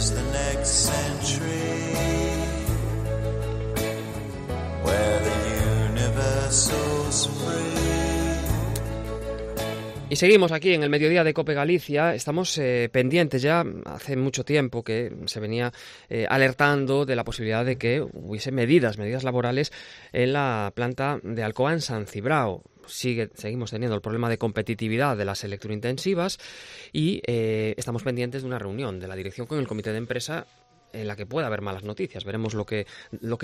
face the next century, where the universal's free. Y seguimos aquí en el mediodía de COPE Galicia. Estamos pendientes ya, hace mucho tiempo que se venía alertando de la posibilidad de que hubiese medidas laborales en la planta de Alcoa en San Cibrao. Seguimos teniendo el problema de competitividad de las electrointensivas y estamos pendientes de una reunión de la dirección con el comité de empresa en la que pueda haber malas noticias. Veremos lo que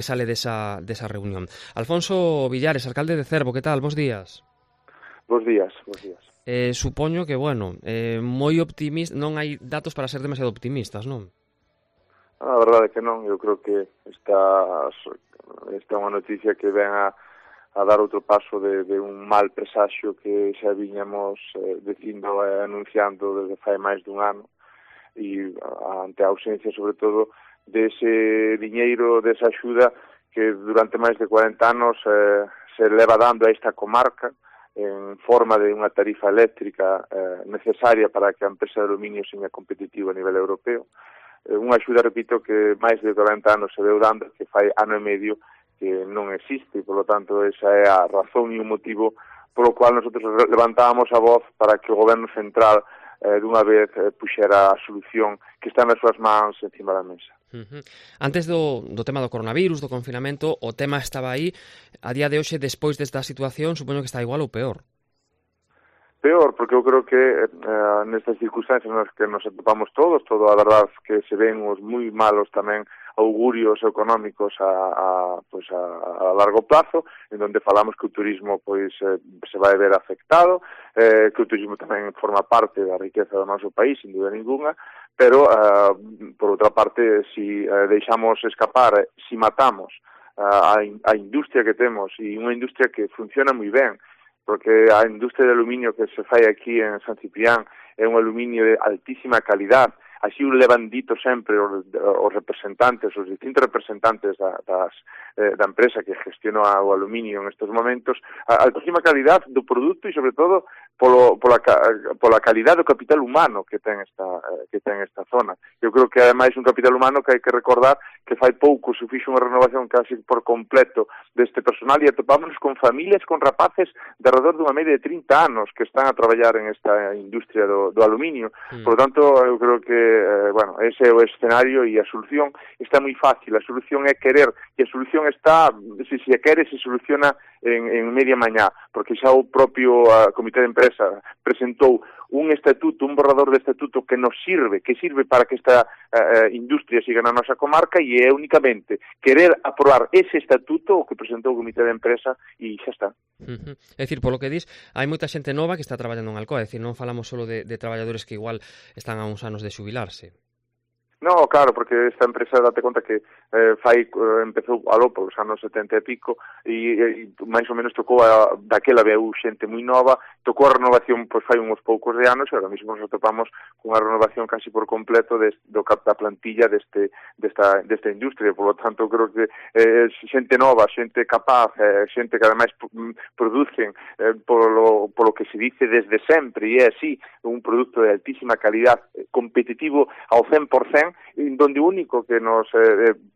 sale de esa reunión. Alfonso Villares, alcalde de Cervo, ¿qué tal? Bos días. Bos días. Supoño que, moi optimista, non hai datos para ser demasiado optimistas, non? A verdade é que non, eu creo que esta é unha noticia que ven a dar outro paso de un mal presaxio que xa viñamos dicindo e anunciando desde fai máis dun ano, e ante a ausencia, sobre todo, dese diñeiro, desa axuda que durante máis de 40 anos se leva dando a esta comarca en forma de unha tarifa eléctrica necesaria para que a empresa de aluminio seña competitiva a nivel europeo. Unha axuda, repito, que máis de 40 anos se veu dando, que fai ano e medio que non existe, e, polo tanto, esa é a razón e o motivo polo cual nosotros levantábamos a voz para que o goberno central dunha vez puxera a solución que está nas súas mans encima da mesa. Antes do tema do coronavirus, do confinamento, o tema estaba aí. A día de hoxe, despois desta situación, supoño que está igual ou peor. Peor, porque eu creo que nestas circunstancias nas que nos atopamos todos, a verdade que se ven os moi malos tamén augurios económicos a largo plazo, en donde falamos que o turismo se vai ver afectado, que o turismo tamén forma parte da riqueza do noso país, sin dúda ninguna, pero, por outra parte, si deixamos escapar, si matamos a industria que temos, e unha industria que funciona moi ben, porque a industria de aluminio que se fai aquí en San Ciprián é un aluminio de altísima calidad. Así o levan dito sempre os representantes, os distintos representantes da empresa que gestiona o aluminio en estes momentos, a altísima calidad do produto e, sobre todo, pola calidad do capital humano que ten esta zona. Eu creo que, ademais, un capital humano que hai que recordar que fai pouco se fixo unha renovación casi por completo deste personal, e atopámonos con familias, con rapaces de alrededor dunha media de 30 anos que están a traballar en esta industria do aluminio. Por lo tanto, eu creo que ese é o escenario, e a solución está moi fácil. A solución é querer, e a solución está, se quere, se soluciona en media mañá, porque xa o propio comité de empresa presentou un estatuto, un borrador de estatuto que sirve para que esta industria siga na nosa comarca, e é únicamente querer aprobar ese estatuto o que presentou o comité de empresa, e xa está. É dicir, polo que dis, hai moita xente nova que está traballando en Alcoa, é dicir, non falamos só de traballadores que igual están a uns anos de xubilarse. No, claro, porque esta empresa, date conta que empezou aló por os anos 70 e pico, e máis ou menos tocou daquela veu xente moi nova, tocou a renovación fai uns poucos de anos, e agora mesmo nos atopamos con a renovación casi por completo da plantilla desta industria. Por lo tanto, creo que xente nova, xente capaz, xente que ademais producen polo que se dice desde sempre, e é así, un produto de altísima calidad, competitivo ao 100%, donde o único que nos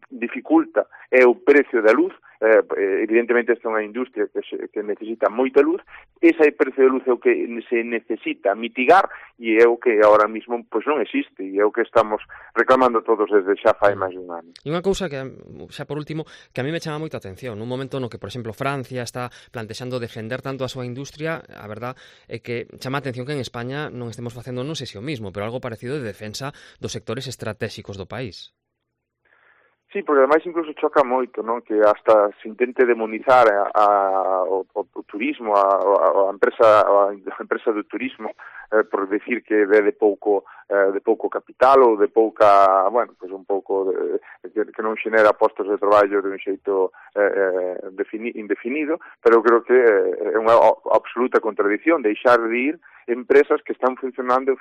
dificulta é o precio da luz. Evidentemente esta é unha industria que necesita moita luz. Ese precio de luz é o que se necesita mitigar, e é o que ahora mismo non existe, e é o que estamos reclamando todos desde xa fai máis de un ano. E unha cousa que, xa por último, que a mí me chama moita atención, nun momento no que, por exemplo, Francia está plantexando defender tanto a súa industria, a verdad é que chama a atención que en España non estemos facendo, non sei se o mismo, pero algo parecido de defensa dos sectores estratégicos do país. Sí, porque ademais incluso choca moito, non? Que hasta se intente demonizar o turismo, a empresa do turismo, por decir que é de pouco capital ou de pouca, un pouco que non xenera postos de traballo de un xeito indefinido, pero eu creo que é unha absoluta contradición deixar de ir empresas que están funcionando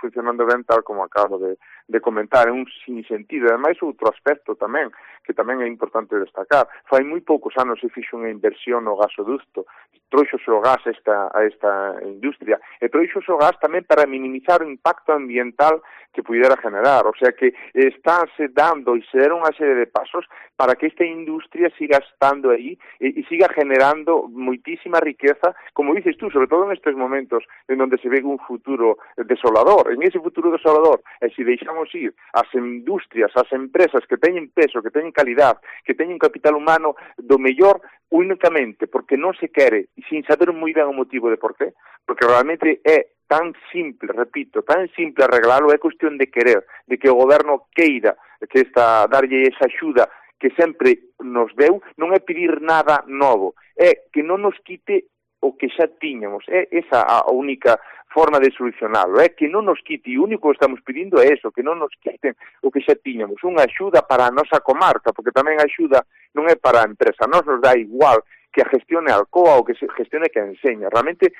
ben tal como acabo de comentar, é un sinsentido. Ademais, outro aspecto tamén, que tamén é importante destacar, fai moi poucos anos se fixo unha inversión no gasoducto, trouxose o gas a esta industria, e trouxose o gas tamén para minimizar o impacto ambiental que pudera generar, o sea que estáse dando e se deron unha serie de pasos para que esta industria siga estando aí e siga generando moitísima riqueza, como dices tú, sobre todo en estes momentos en donde se ve un futuro desolador. En ese futuro desolador, e se deixamos ir as industrias, as empresas que teñen peso, que teñen calidad, que teñen capital humano do mellor, únicamente porque non se quere, sin saber moi ben o motivo de por qué, porque realmente é tan simple, repito, tan simple arreglalo, é cuestión de querer, de que o goberno queira que darlle esa axuda que sempre nos deu, non é pedir nada novo, é que non nos quite o que xa tiñamos, é esa a única forma de solucionalo, é que non nos quite, e o único que estamos pedindo é eso, que non nos quiten o que xa tiñamos, unha axuda para a nosa comarca, porque tamén a axuda non é para a empresa, nos dá igual que a gestione a Alcoa ou que se gestione que enseña. Realmente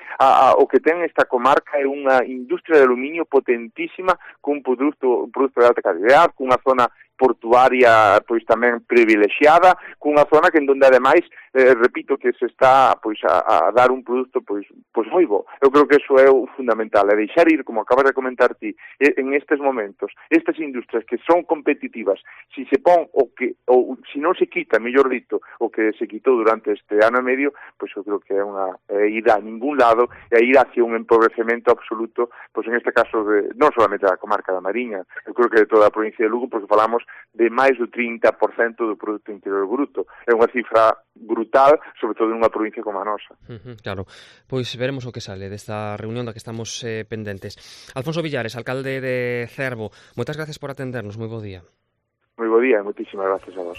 o que ten esta comarca é unha industria de aluminio potentísima, cun produto de alta calidad, cunha zona portuaria pois tamén privilexiada, cunha zona que en donde ademais repito que se está pois a dar un produto pois moi bo. Eu creo que eso é o fundamental, é deixar ir, como acabas de comentar ti, en estes momentos, estas industrias que son competitivas, si se pon ou si non se quita, mellor dito, o que se quitou durante este ano e medio, pois eu creo que é unha ida a ningún lado, e a ir hacia un empobrecemento absoluto, pois en este caso non solamente da comarca da Mariña, eu creo que de toda a provincia de Lugo, porque falamos de máis do 30% do Produto Interior Bruto. É unha cifra brutal, sobre todo nunha provincia como a nosa. Claro, pois veremos o que sale desta reunión da que estamos pendentes. Alfonso Villares, alcalde de Cervo, moitas gracias por atendernos, moi bo día. Moi bo día e moitísimas gracias a vos.